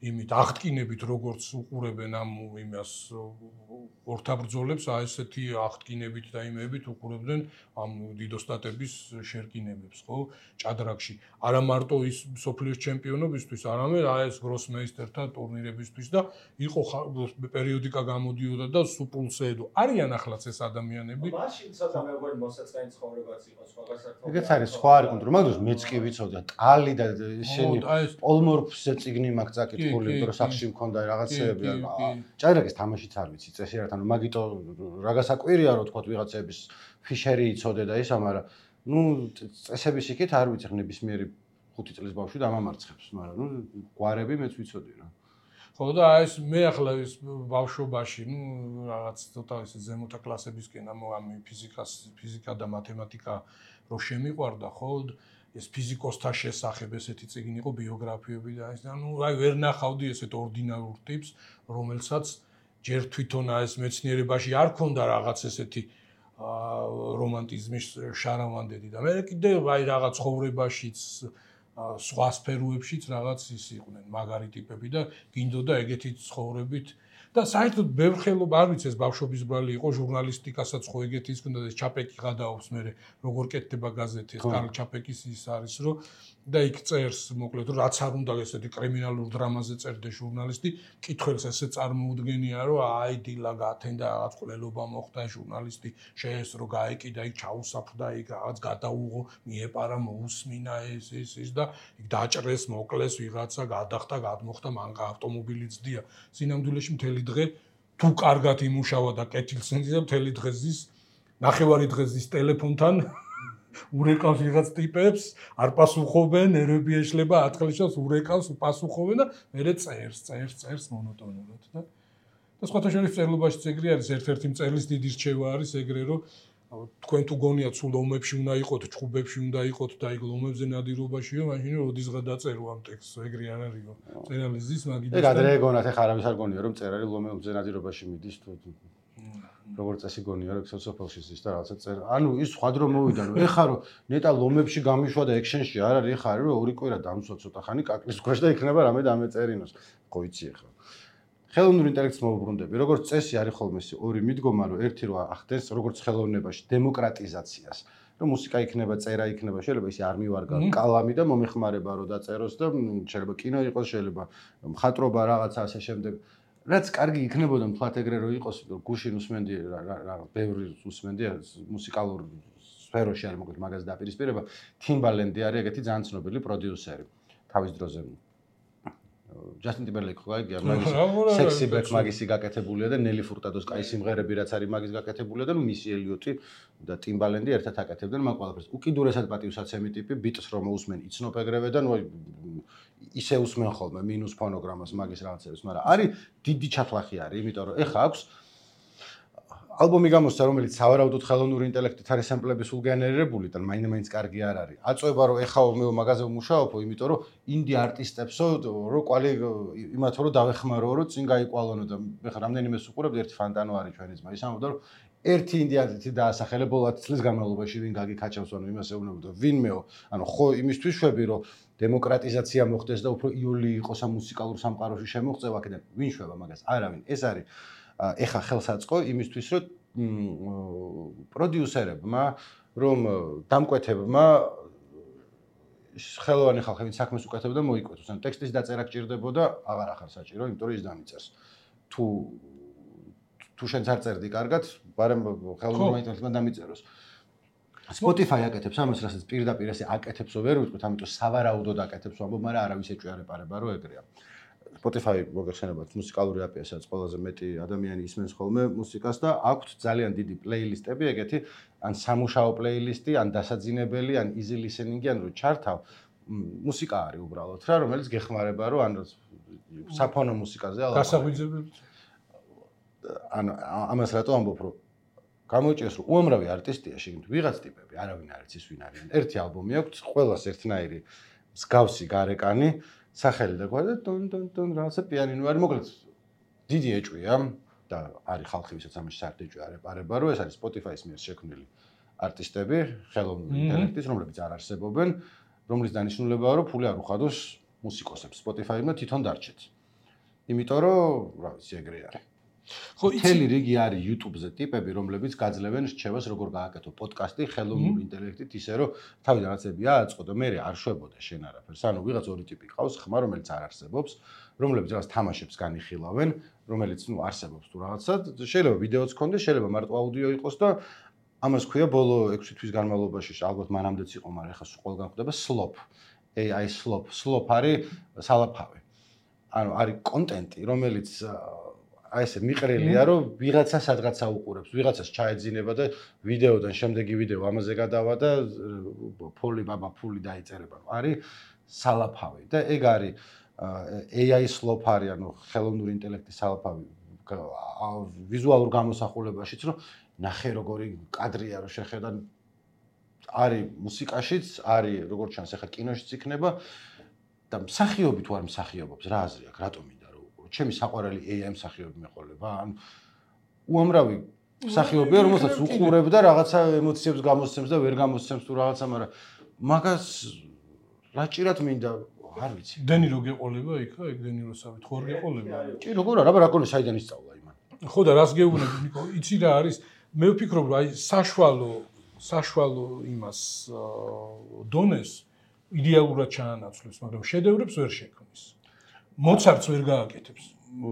S2: იმით აღტკინებით როგორც უყურებენ ამ იმას ორთაბრძოლებს, აი ესეთი აღტკინებით და იმებით უყურებდნენ ამ დიდოსტატების შერკინებებს, ხო, ჭადრაკში. არა მარტო ის სოფლიოს ჩემპიონობისთვის, არამედ აი ეს გროსმეისტერთა ტურნირებისთვის და იყო პერიოდიკა გამოდიოდა და სუპულსედო. არიან ახლაც ეს ადამიანები.
S1: მაშინ ცოტა მე მგონი მოსაწყენი ცხოვრებაც იყო სხვა გასართობ.
S3: ეგეც არის სხვა არ კონტროლ, მაგდროს მეც კი ვიცოდა, ტალი და შენი პოლმორფზე წიგნი მაქვს წაკითხული, იმიტომ რომ სახში მქონდა რაღაცეები, ჭადრაკის თამაშიც არ ვიცი, წესი არ თან მაგიტო რა გასაკვირია რომ თქვა ვიღაცების ფიშერი იცოდე და ისა, მაგრამ ნუ წესების იქით არ ვიცი ნებისმიერი 5 წლის ბავშვი დამამარცხებს, მაგრამ ნუ გვარები მეც ვიცოდი რა.
S2: ხო და აი ეს მე ახლა ეს ბავშვობაში, ნუ რაღაც ცოტა ეს ზემოთა კლასებისკენ ამ ფიზიკა და მათემატიკა რო შემიყვარდა, ხო ეს ფიზიკოსთა შესახებ ესეთი წიგნი იყო ბიოგრაფიები და ეს ანუ აი ვერ ნახავდი ესეთ ორდინალურ ტიპს, რომელსაც ჯერ თვითონ ეს მეცნიერებაში არ ქონდა რაღაც ესეთი რომანტიზმის შარავანდები და მე კიდევ აი რაღაც ცხოვრებაშიც სხვა სფეროებშიც რაღაც ის იყვნენ მაგარი ტიპები და გინდოდა ეგეთი ცხოვრებით და საერთოდ ბევრ ხელობა არ ვიცი ეს ბავშვობის ბრალი იყო ჟურნალისტიკასაც ხო ეგეთი ის ქონდა ეს ჩაპეკი გადაობს მე როგორ კეთდება გაზეთი ეს კარლ ჩაპეკის ის არის რომ და იქ წერს მოკლედ რაც არ უნდა ესეთი კრიმინალურ დრამაზე წერდა ჟურნალისტი კითხველს ესე წარმოუდგენია რომ აი დილა გათენდა რაღაც ყლელობა მოხდა ჟურნალისტი შეესრო გაეკიდა იქ ჩაუსაფრდა იქ რაღაც გადაუღო მიეპარა მოусმინა ეს და იქ დაჭრეს მოკლეს ვიღაცა გადახტა გადმოხდა მანქა ავტომობილი ძდია სინამდვილეში მთელი დღე თუ კარგად იმუშავა და კეთილს ენძია მთელი დღე ზის ნახევარი დღე ზის ტელეფონთან ურეკავს ვიღაც ტიპებს არ პასუხობენ ნერვები ეშლება აწყლიშავს ურეკავს უპასუხობენ და მერე წერს მონოტონურად და სხვათა შორის წერლობაშიც ეგრე არის ერთ-ერთი მწერლის დიდი რჩევა არის ეგრე რომ თქვენ თუ გონიათ სულ ომებში უნდა იყოთ ჭუბებში უნდა იყოთ და იქ ლომებზე ნადირობაშიო მაშინ როდისღა დაწერო ამ ტექსტს ეგრე არ არისო წერალი ზის მაგიდას
S3: ეგ ადრე გონათ ეხლა არავის არ გონია რომ წერალი ლომებზე ნადირობაში მიდის თუ როგორც წესი გონია რომ სოციოფელში ზის და რაღაცა წერ ანუ ის სხვა დრო მოვიდა რომ ეხლა რომ ნეტა ლომებში გამიშვა და ექშენში არ არის ეხლა არის რომ ორი კვირა დამსვა ცოტა ხანი კაკლის ქვეშ და იქნება რამე დამეწერინოს ხო იცი ეხლა ხელოვნურ ინტელექტს მოვუბრუნდები როგორც წესი არის ხოლმე ორი მიდგომა რომ ერთი რო ახდენს როგორც ხელოვნებაში დემოკრატიზაციას რომ მუსიკა იქნება წერა იქნება შეიძლება ისე არ მივარგა კალამი და მომეხმარება რომ დაწეროს და შეიძლება კინო იყოს შეიძლება მხატვრობა რაღაცა ასე შემდეგ რაც კარგი იქნებოდა მთლად ეგრე რო იყოს გუშინ უსმენდი ბევრი უსმენდი მუსიკალურ სფეროში არის მოკლედ მაგას დაპირისპირება თიმბალენდი არის ეგეთი ძალიან ცნობილი პროდიუსერი თავის დროზე ჯასტინ ტიმბერლეიკი ხო აიგია მაგის სექსი ბექ მაგისი გაკეთებულია და ნელი ფურტადოს კაი სიმღერები რაც არის მაგის გაკეთებულია და მისი ელიოტი და ტიმბალენდი ერთად აკეთებდნენ მაგ ყველაფერს უკიდურესად პატივსაცემი ტიპი ბიტს რომ უსმენ იცნობ ეგრევე და ნუ ისე უსმენ ხოლმე მინუს ფონოგრამას მაგის რაღაცებს მაგრამ არის დიდი ჩათლახი არის იმიტომ რომ ეხა აქვს ალბომი გამოსცა რომელიც სავარაუდოდ ხელოვნური ინტელექტით არის სემპლები სულ გენერირებული და მაინც კარგი არ არის აწובה რომ ეხა მე მაგაზე ვმუშაობ იმიტომ რომ ინდი არტისტებსო რომ კვალი იმათ რომ დავეხმარო რომ წინ გაიყვალონო და ეხა რამდენიმე სუყურებ ერთი ფანტანო არის ჩვენი ძმა ის ამბობდა რომ ერთი ინდი არტისტი დაასახელე ბოლო 10 წლის განმავლობაში ვინ გაგიქაჩავს ანუ იმას ეუბნებოდა ვინმეო ანუ ხო იმისთვის შვები რომ დემოკრატიზაცია მოხდეს და უფრო იოლი იყოს ამ მუსიკალურ სამყაროში შემოღწევა აქედან ვინ შვება მაგას არავინ ეს არის ეხა ხელსაწყო იმისთვის რომ პროდიუსერებმა რომ დამკვეთებმა ხელოვანი ხალხი ვინც საქმეს უკეთებდა მოიკვეთოს ან ტექსტის დაწერა გჭირდებოდა აღარ ახარ საჭირო იმიტომ რომ ის დამიწერს თუ შენც არ წერდი კარგად ბარემ ხელოვნურმა ინტელექტმა დამიწეროს Spotify აკეთებს ამას რასაც პირდაპირ ესე აკეთებსო ვერ ვიტყვით ამიტომ სავარაუდოდ აკეთებს ამბობ მაგრამ არავის ეჭვიარეპარება რომ ეგრეა Spotify მოგეხსენებათ მუსიკალური აპიასაც ყველაზე მეტი ადამიანი ისმენს ხოლმე მუსიკას და აქვთ ძალიან დიდი პლეილისტები ეგეთი ან სამუშაო პლეილისტი ან დასაძინებელი ან easy listening ან რო ჩართავ მუსიკა არის უბრალოდ რა რომელიც გეხმარება რომ ან საფონო მუსიკაზე ალ
S2: გასაღვიძებლებით
S3: ან ამას რატო ამბობ რომ გამოიჭრეს რომ უამრავი არტისტია შეგინთ ვიღაც ტიპები არავინ არ იცის ვინ არიან ერთი ალბომი აქვს ყველას ერთნაირი მსგავსი გარეკანი სახელი და გვადა ტონ რაღაცა პიანინო არის მოკლედ დიდი ეჭვია და არის ხალხი ვისაც ამაში საერთოდ ეჭვი არ ეპარება რომ ეს არის Spotify-ის მიერ შექმნილი არტისტები ხელოვნური ინტელექტის რომლებიც არ არსებობენ რომლის დანიშნულებაა რომ ფული არ უხადოს მუსიკოსებს Spotify-მა თვითონ დარჩეთ იმიტომ რომ რა ვიცი ეგრე არის ხო თელი რიგი არის YouTube-ზე ტიპები რომლებიც გაძლევენ რჩევას როგორ გააკეთო პოდკასტი ხელოვნური ინტელექტით ისე რომ თავიდან რაღაცები ააწყო და მე არ შვებოდა შენ არაფერს ანუ ვიღაც ორი ტიპი ყავს ხმა რომელიც არ არსებობს რომლებიც რაღაც თამაშებს განიხილავენ რომელიც ნუ არსებობს თუ რაღაცა შეიძლება ვიდეოც ქონდეს შეიძლება მარტო აუდიო იყოს და ამას ქვია ბოლო 6 თვის განმავლობაში ალბათ მანამდეც იყო მაგრამ ეხლა ყველგან ხდება slop AI slop არის სალაფავი ანუ არის კონტენტი რომელიც აი ესე მიყრელია რომ ვიღაცა სადღაცა უყურებს, ვიღაცას ჩაეძინება და ვიდეოდან შემდეგი ვიდეო ამაზე გადავა და ფული დაიწერება. არის სალაფავი და ეგ არის AI slop არის, ანუ ხელოვნური ინტელექტის სალაფავი ვიზუალურ გამოსახულებაშიც, რომ ნახე როგორი კადრია რომ შეხედან არის მუსიკაშიც, არის როგორც ჩანს ახლა კინოშიც იქნება და მსახიობი თუ არ მსახიობობს, რა აზრი აქვს, რატომ მინდა რომ უყურო? ჩემი საყვარელი AI მსახიობი მეყოლება, ანუ უამრავი მსახიობია, რომელსაც უყურებ და რაღაცა ემოციებს გამოსცემს და ვერ გამოსცემს თუ რაღაცა, მაგრამ მაგას რა ჭირად მინდა, არ ვიცი.
S2: დენირო გეყოლება იქა, ეგ დენიროსავით ხო არ გეყოლება?
S3: ჭი როგორ არა, რა კონი საიდან ისწავლა იმან.
S2: ხო და რას გეუბნები, ნიკო, იცი რა არის? მე ვფიქრობ, რომ აი საშუალო იმას დონეს იდეალურად ჩაანაცვლებს, მაგრამ შედევრებს ვერ შექმნის. მოცარტს ვერ გააკეთებს.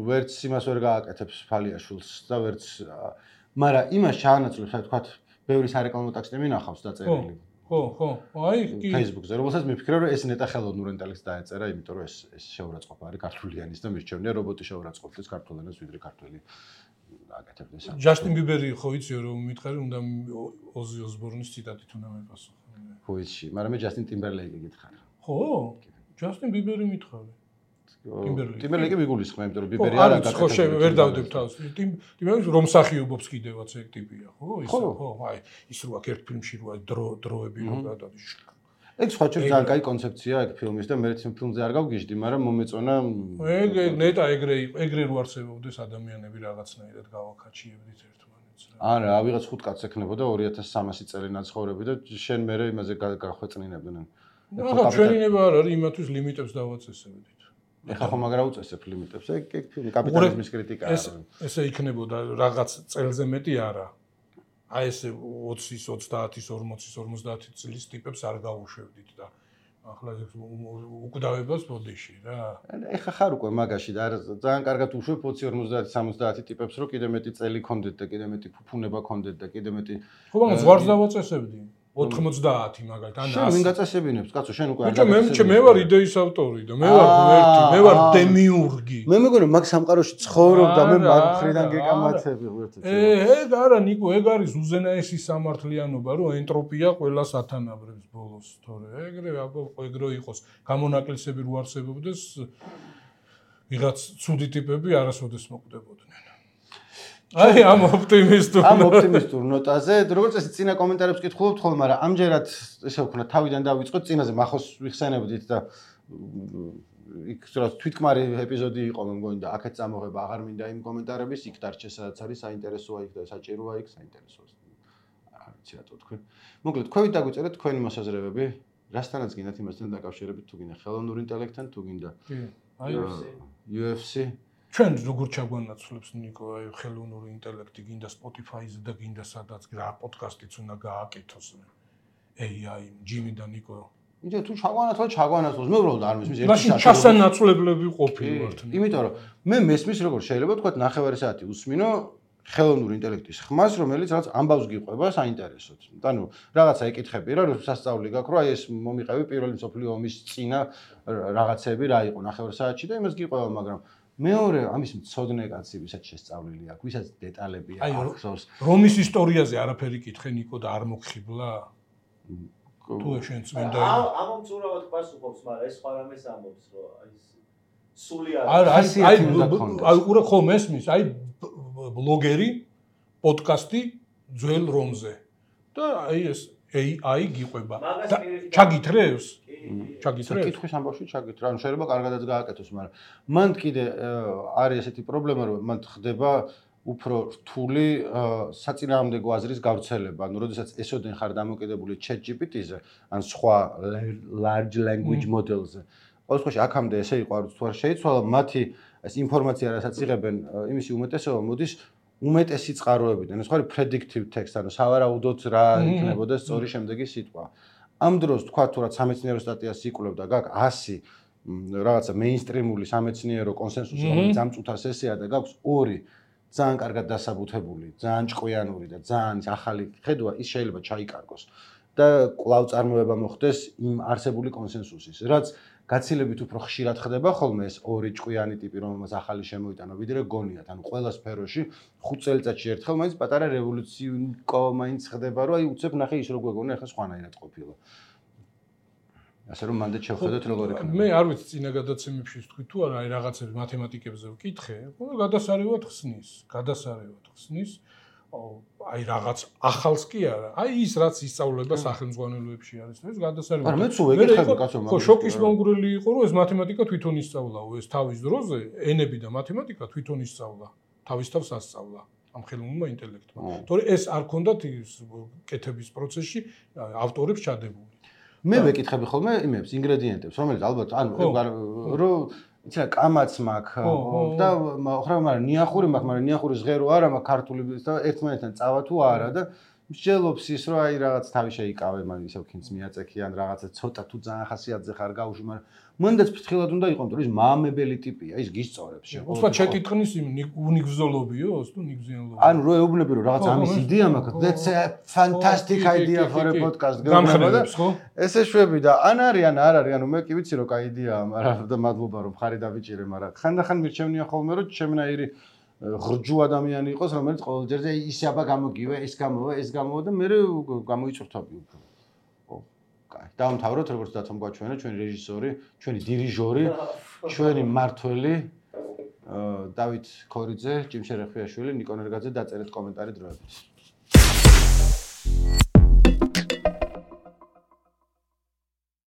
S3: ვერც იმას ვერ გააკეთებს ფალიაშვილს და ვერც მაგრამ იმას ჩაანაცვლებს, აი თქვა, ბევრი სარეკლამო ტექსტი მინახავს დაწერილი.
S2: ხო, აი კი
S3: Facebook-ზე, რომელსაც მიფიქრე, რომ ეს ნეტა ხელოვნურ ინტელექტს დაეწერა, იმიტომ რომ ეს შეურაცხყოფა არის ქართულიანის და მისჩევნია რობოტი შეურაცხყოფდეს ქართულ ენას, ვიდრე ქართველი აკეთებდეს.
S2: ჯასტინ ბიბერი ხო იციო რომ მითხარი, უნდა ოზი ოსბორნის ციტატით უნდა მეპასუხო.
S3: ხო იცი, მაგრამ მე ჯასტინ ტიმბერლეიკი გითხარ.
S2: ხო? ჯასტინ ბიბერი მითხარი.
S3: ტიმბერლეიკი მიგულისხმე, იმიტომ რომ ბიბერი არ
S2: აკეთებს. ხო, ვერ დავდებ თავს. ტიმბერლეიკი რომ მსახიობობს კიდევაც ეგ ტიპია, ხო? ისე ხო, აი ის რო აქ ერთ ფილმში რო აი დროები რო გადადის.
S3: ეგ სხვა ჩვენ ძალიან კაი კონცეფცია ეგ ფილმის და მე თვითონ ფილმზე არ გავგიჟდი, მაგრამ მომეწონა
S2: ეგ ნეტა ეგრე რო არსებობდეს ადამიანები რაღაცნაირად გავაკაჩიებდით ერთმანეთს რა.
S3: არა, ავიღაც 5 კაცს ექნებოდა 2300 წელი ნაცხოვრები და შენ მერე იმაზე გახვეწნინებდნენ.
S2: ახლა ჩვენინება არ არის იმათვის ლიმიტებს დავაწესებდით.
S3: ეხლა ხომ აღარ აუწესებ ლიმიტებს, ეგ ფილმი კაპიტალიზმის კრიტიკაა.
S2: ესე იქნებოდა რაღაც წელზე მეტი არა. აი ესე 20-ის, 30-ის, 40-ის, 50 წლის ტიპებს არ გავუშვებდით და ახლა უკვდავებას ბოდიში რა.
S3: ეხლა ხარ უკვე მაგაში და ძალიან კარგად უშვებ 20, 50, 70 ტიპებს, რომ კიდე მეტი წელი კონდეთ და კიდე მეტი ფუფუნება კონდეთ და კიდე მეტი
S2: ხო, მაგრამ ზღვარს დავაწესებდი. 90 მაგალითად ან 100.
S3: შენ ვინ გაწესებინებს, კაცო, შენ უკვე
S2: არ გაწესებინებ. მე ვარ იდეის ავტორი და მე ვარ ღმერთი, მე ვარ დემიურგი.
S3: მე მეგონა მაგ სამყაროში ცხოვრობ და მე მაგ მხრიდან გეკამათები ღმერთო.
S2: ეგ არა ნიკო, ეგ არის უზენაესი სამართლიანობა, რომ ენტროპია ყველას ათანაბრებს ბოლოს, თორე ეგრე ეგრო იყოს. გამონაკლისები რო არსებობდეს, ვიღაც ცუდი ტიპები არასოდეს მოკვდებოდნენ. აი ამ
S3: ოპტიმისტურ ნოტაზე, როგორც ეს წინა კომენტარებს კითხულობთ ხოლმე, მაგრამ ამჯერად ესე ვქნა, თავიდან დავიწყოთ, წინაზე მახოს ვიხსენებდით და იქ რა თვითკმარი ეპიზოდი იყო, მე მგონი და აქეთ წამოღება აღარ მინდა იმ კომენტარების, იქ დარჩეს სადაც არის საინტერესოა იქ და საჭიროა იქ საინტერესოა. არ ვიცი რატო თქვენ. მოკლედ, თქვენით დაგვიწერეთ თქვენი მოსაზრებები, რასთანაც გინდათ იმასთან დაკავშირებით, თუ გინდა ხელოვნურ ინტელექტთან, თუ გინდა UFC
S2: ჩვენ როგორ ჩაგვანაცვლებს ნიკო აი ხელოვნური ინტელექტი გინდა Spotify-ზე და გინდა სადაც რა პოდკასტიც უნდა გააკეთოს AI ჯიმი და ნიკო
S3: იდეა თუ ჩაგვანაცვლოს მე უბრალოდ არ მესმის
S2: ერთი ჩასანაცვლებლები ყოფილვართ
S3: იმიტომ რომ მე მესმის როგორ შეიძლება თქვა 9 საათი უსმინო ხელოვნური ინტელექტის ხმას რომელიც რაც ამბავს გიყვება საინტერესოდ ანუ რაღაცა ეკითხები რა რომ სასწაული გაქვს რომ აი ეს მომიყევი პირველი მსოფლიო ომის წინა რაღაცები რა იყო 9 საათში და იმას გიყვება მაგრამ მეორე ამის მცოდნე კაცი ვისაც შესწავლილი აქვს, ვისაც დეტალები აქვს.
S2: რომის ისტორიაზე არაფერი კითხე ნიკო და არ მოგხიბლა? თუ შენ წმინდა
S1: ამომწურავად პასუხობს, მაგრამ ეს სხვა რამეს ამბობს, რომ აი სული არის.
S2: აი უბრალოდ ხო მესმის, აი ბლოგერი, პოდკასტი ძველ რომზე. და აი ეს AI გიყვება. ჩაგითრევს? ჩაგითრევს?
S3: კითხვის ამბავში ჩაგითრევს. ანუ შეიძლება კარგადაც გააკეთოს, მაგრამ მან კიდე არის ესეთი პრობლემა, რომ მან ხდება უფრო რთული საწინააღმდეგო აზრის გავრცელება. ანუ როდესაც ესოდენ ხარ დამოკიდებული ChatGPT-ზე, ან სხვა large language model-ზე. ყოველ შემთხვევაში აქამდე ესე იყო, არც თუ არ შეიცვალა, მათი ეს ინფორმაცია, რასაც იღებენ, იმისი უმეტესობა მოდის უმეტესი წყაროებიდან. ეს ხო არის predictive text, ანუ სავარაუდოდ რა იქნებოდა სწორი შემდეგი სიტყვა. ამ დროს თქვა თუ რა სამეცნიერო სტატიას იკვლევ და გაქვს 100 რაღაცა მეინსტრიმული სამეცნიერო კონსენსუსი, რომელიც ამწუთა სესია და გაქვს 2 ძალიან კარგად დასაბუთებული, ძალიან ჭკვიანური და ძალიან ახალი ხედვა, ის შეიძლება ჩაიკარგოს და კვლავ წარმოება მოხდეს იმ არსებული კონსენსუსის, რაც გაცილებით უფრო ხშირად ხდება ხოლმე ეს 2 ჭკვიანი ტიპი, რომელმაც ახალი შემოიტანა, ვიდრე გონიათ. ანუ ყველა სფეროში 5 წელიწადში ერთხელ მაინც პატარა რევოლუცია მაინც ხდება, რომ აი უცებ ნახე ის რო გვეგონა, ახლა სხვანაირად ყოფილა. ასე რომ მანდ შევხედოთ როგორ იქნება.
S2: მე არ ვიცი წინა გადაცემებში თქვი თუ არა, აი რაღაცები მათემატიკებზე ვკითხე, გადასარევად ხსნის, აი რაღაც ახალს კი არა. აი ის რაც ისწავლება სახელმძღვანელოებში არის, ეს გადასარევი.
S3: არა, მეც ვეკითხები კაცო
S2: ხო, შოკის მომგვრელი იყო, რომ ეს მათემატიკა თვითონ ისწავლაო, ეს თავის დროზე ენები და მათემატიკა თვითონ ისწავლა, თავის თავს ასწავლა ამ ხელოვნურმა ინტელექტმა. თორე ეს არ ქონდათ კეთების პროცესში ავტორებს ჩადებული.
S3: მე ვეკითხები ხოლმე იმებს, ინგრედიენტებს, რომელიც ალბათ რომ იცი რა კამაც მაქვს და მაგრამ ნიახური მაქვს, მაგრამ ნიახურის ღერო არა მაქვს ქართული და ერთმანეთთან წავა თუ არა და მსჯელობს ის რომ აი რაღაც თავი შეიკავე, მან ისევ ქინს მიაწექი ან რაღაცა ცოტა თუ ძალიან ხასიათზე ხარ გაუშვი, მაგრამ მანდაც ფრთხილად უნდა იყოს, რომ ის მამებელი ტიპია, ის გისწორებს შეგ.
S2: უცბად შეკითხნის უნიგზოლობიო, თუ ნიგზიანლობიო.
S3: ანუ რო ეუბნები რომ რაღაც ამის იდეა მაქვს, that's a fantastic idea for a podcast.
S2: გამხნევებს ხო?
S3: ესე შვები და ან არის ან არ არის, ანუ მე კი ვიცი რომ კაი იდეაა, მაგრამ და მადლობა რომ ხარი დავიჭირე, მაგრამ ხანდახან მირჩევნია ხოლმე რომ ჩემნაირი ღრჯუ ადამიანი იყოს, რომელიც ყოველ ჯერზე ის აბა გამოგივე, ეს გამოვა და მე გამოიწურთობი უფრო. ხო, კაი. დავამთავროთ, როგორც დათომ გვაჩვენა, ჩვენი რეჟისორი, ჩვენი დირიჟორი, ჩვენი მმართველი დავით ქორიძე, ჭიმშე რეხვიაშვილი, ნიკო ნერგაძე დაწერეთ კომენტარი დროებით.